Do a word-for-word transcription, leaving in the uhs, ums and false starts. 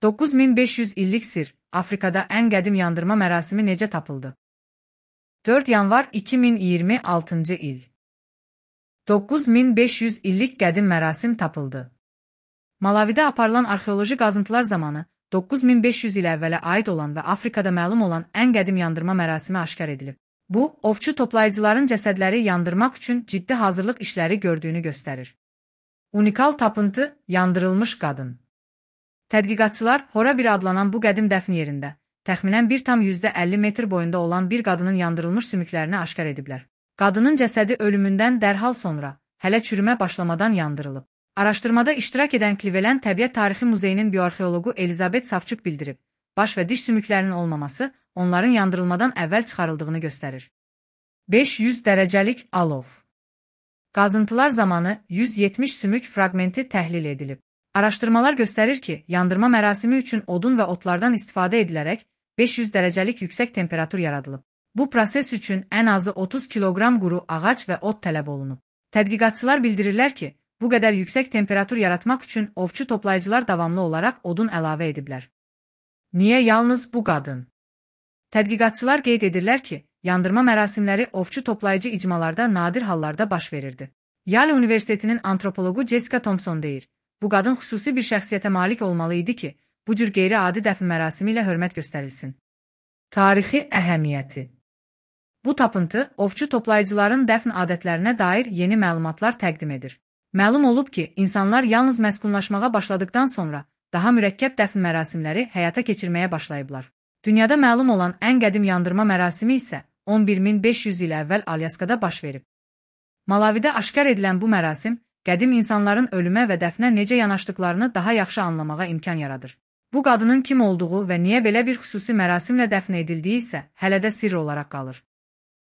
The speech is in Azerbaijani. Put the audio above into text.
doqquz min beş yüz illik sir, Afrikada ən qədim yandırma mərasimi necə tapıldı? dörd yanvar iki min iyirmi altıncı il. doqquz min beş yüz illik qədim mərasim tapıldı. Malavidə aparılan arxeoloji qazıntılar zamanı doqquz min beş yüz il əvvələ aid olan və Afrikada məlum olan ən qədim yandırma mərasimi aşkar edilib. Bu, ovçu toplayıcıların cəsədləri yandırmaq üçün ciddi hazırlıq işləri gördüyünü göstərir. Unikal tapıntı, yandırılmış qadın. Tədqiqatçılar Hora bir adlanan bu qədim dəfn yerində, təxminən bir tam yüzdə əlli metr boyunda olan bir qadının yandırılmış sümüklərini aşkar ediblər. Qadının cəsədi ölümündən dərhal sonra, hələ çürümə başlamadan yandırılıb. Araşdırmada iştirak edən Cleveland Təbiət Tarixi Muzeyinin bioarxeoloqu Elizabeth Savçuk bildirib, baş və diş sümüklərinin olmaması onların yandırılmadan əvvəl çıxarıldığını göstərir. beş yüz dərəcəlik alov. Qazıntılar zamanı yüz yetmiş sümük fraqmenti təhlil edilib. Araşdırmalar göstərir ki, yandırma mərasimi üçün odun və otlardan istifadə edilərək beş yüz dərəcəlik yüksək temperatur yaradılıb. Bu proses üçün ən azı otuz kiloqram quru ağac və ot tələb olunub. Tədqiqatçılar bildirirlər ki, bu qədər yüksək temperatur yaratmaq üçün ovçu toplayıcılar davamlı olaraq odun əlavə ediblər. Niyə yalnız bu qadın? Tədqiqatçılar qeyd edirlər ki, yandırma mərasimləri ovçu toplayıcı icmalarda nadir hallarda baş verirdi. Yale Universitetinin antropoloqu Jessica Thompson deyir, bu qadın xüsusi bir şəxsiyyətə malik olmalı idi ki, bu cür qeyri-adi dəfn mərasimi ilə hörmət göstərilsin. Tarixi əhəmiyyəti. Bu tapıntı ovçu toplayıcıların dəfn adətlərinə dair yeni məlumatlar təqdim edir. Məlum olub ki, insanlar yalnız məskunlaşmağa başladıkdan sonra daha mürəkkəb dəfn mərasimləri həyata keçirməyə başlayıblar. Dünyada məlum olan ən qədim yandırma mərasimi isə on bir min beş yüz il əvvəl Alyaskada baş verib. Malavidə aşkar edilən bu mərasim, qədim insanların ölümə və dəfnə necə yanaşdıqlarını daha yaxşı anlamağa imkan yaradır. Bu qadının kim olduğu və niyə belə bir xüsusi mərasimlə dəfn edildiyi isə hələ də sirr olaraq qalır.